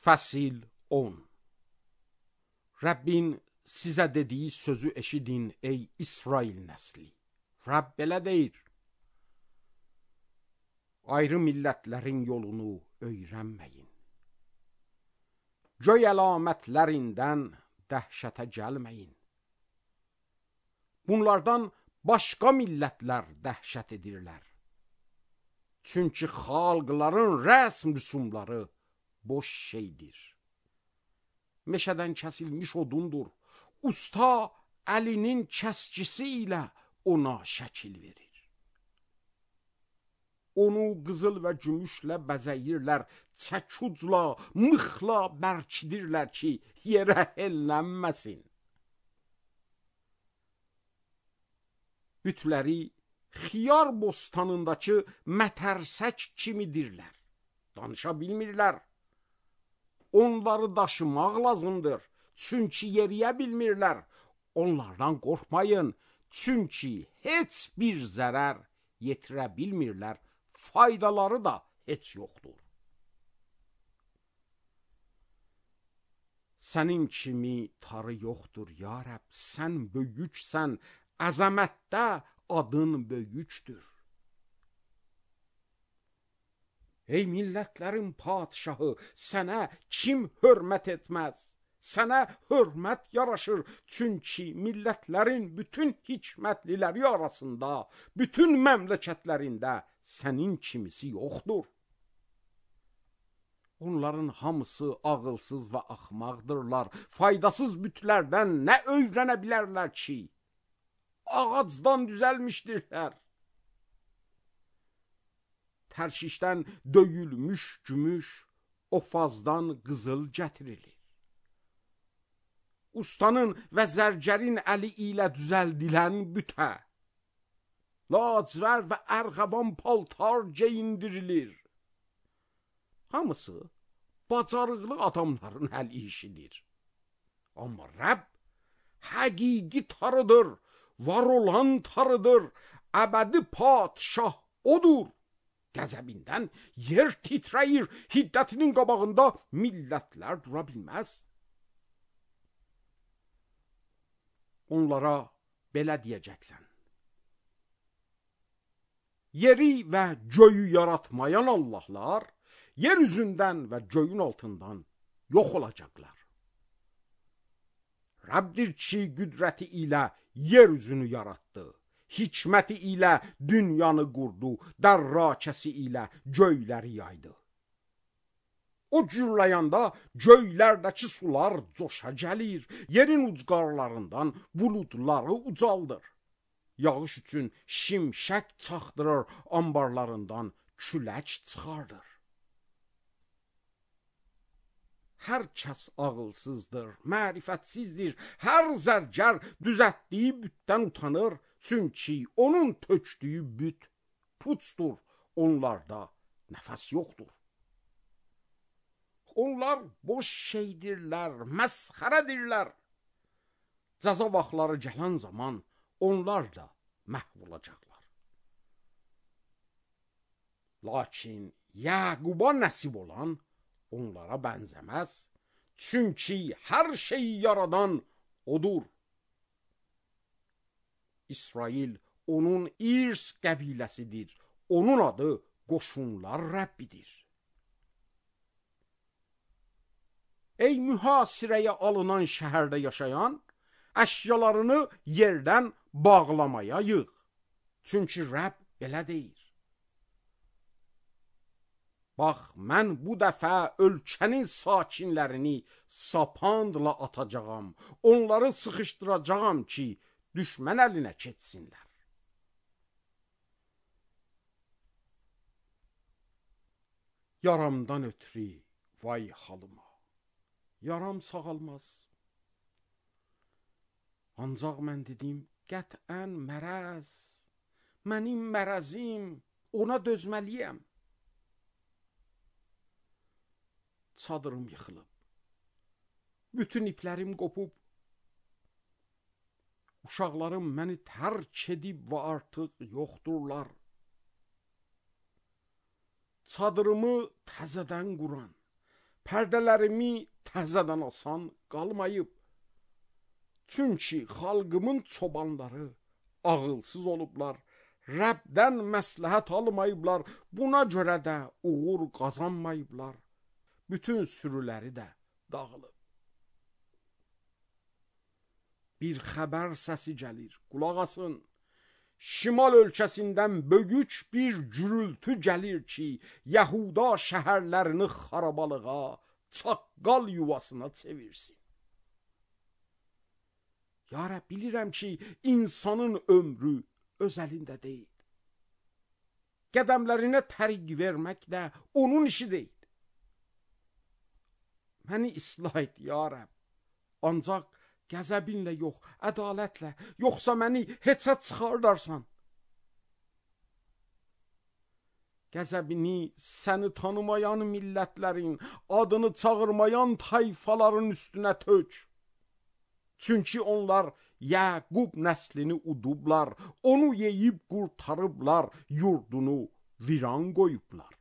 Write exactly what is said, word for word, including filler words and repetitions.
Fəsil on. Rəbbin sizə dediyi sözü eşidin ey İsrail nəsli. Rəbb belə deyir: ayrı millətlərin yolunu öyrənməyin. Göy əlamətlərindən dəhşətə gəlməyin. Bunlardan başqa millətlər dəhşət edirlər. Çünki xalqların rəsm rüsumları boş şeydir. Meşədən kəsilmiş odundur. Usta əlinin kəskisi ilə ona şəkil verir. Onu qızıl və gümüşlə bəzəyirlər, çəkucla, mıxla bərkidirlər ki, yerə ellənməsin. Bütləri xiyar bostanındakı mətərsək kimidirlər. Danışa bilmirlər. Onları daşımaq lazımdır, çünki yeriyə bilmirlər. Onlardan qorxmayın, çünki heç bir zərər yetirə bilmirlər. Faydaları da heç yoxdur. Sənin kimi tarı yoxdur ya Rəbb, sən böyüksən, əzəmətdə adın böyükdür. Ey millətlərin padişahı, sənə kim hörmət etməz? Sənə hörmət yaraşır, çünki millətlərin bütün hikmətliləri arasında, bütün məmləkətlərində sənin kimisi yoxdur. Onların hamısı ağılsız və axmaqdırlar. Faydasız bütlərdən nə öyrənə bilərlər ki? Ağacdan düzəlmişdirlər. Tərşişdən döyülmüş gümüş, ofazdan qızıl gətirilir. Ustanın və zərgərin əli ilə düzəldilən bütə, lacivər və ərğəvan paltar geyindirilir. Hamısı bacarıqlı adamların əl işidir. Amma Rəbb həqiqi tarıdır, var olan tarıdır, əbədi padişah odur. Qəzəbindən yer titrəyir, hiddətinin qabağında millətlər dura bilməz. Onlara belə deyəcəksən: yeri və göyü yaratmayan Allahlar yer üzündən və göyün altından yox olacaqlar. Rəbbdir ki, qüdrəti ilə yer üzünü yaratdı, hikməti ilə dünyanı qurdu, dərrakəsi ilə göyləri yaydı. O gürləyəndə göylərdəki sular coşa gəlir, yerin ucqarlarından buludları ucaldır. Yağış üçün şimşək çaxdırır, ambarlarından külək çıxardır. Hər kəs ağılsızdır, mərifətsizdir, hər zərgər düzətdiyi bütdən utanır, çünki onun tökdüyü büt puçdur, onlarda nəfəs yoxdur. Onlar boş şeydirlər, məsxərədirlər. Cəza vaxtları gələn zaman onlar da məhv olacaqlar. Lakin Yaquba nəsib olan onlara bənzəməz, çünki hər şeyi yaradan odur. İsrail onun İrs qəbiləsidir, onun adı qoşunlar Rəbbidir. Ey mühasirəyə alınan şəhərdə yaşayan, əşyalarını yerdən bağlamaya yığ. Çünki Rəbb belə deyir: bax, mən bu dəfə ölkənin sakinlərini sapandla atacağam, onları sıxışdıracağam ki, düşmən əlinə keçsinlər. Yaramdan ötürü vay halıma, yaram sağalmaz. Ancaq mən dedim, qətən mərəz, mənim mərəzim, ona dözməliyəm. Çadırım yıxılıb, bütün iplərim qopub, uşaqlarım məni tərk edib və artıq yoxdurlar. Çadırımı təzədən quran, pərdələrimi təzədən asan qalmayıb. Çünki xalqımın çobanları ağılsız olublar, Rəbdən məsləhət almayıblar, buna görə də uğur qazanmayıblar. Bütün sürüləri də dağılıb. Bir xəbər səsi gəlir, qulaq asın. Şimal ölkəsindən böyük bir gürültü gəlir ki, Yahuda şəhərlərini xarabalığa, çaqqal yuvasına çevirsin. Ya Rəbb, bilirəm ki, insanın ömrü öz əlində deyil. Qədəmlərinə tərik vermək də onun işi deyil. Məni islah et, ya Rəbb. Ancaq qəzəbinlə yox, ədalətlə, yoxsa məni heçə çıxardarsan. Qəzəbini səni tanımayan millətlərin, adını çağırmayan tayfaların üstünə tök. Çünki onlar Yaqub nəslini udublar, onu yeyib qurtarıblar, yurdunu viran qoyublar.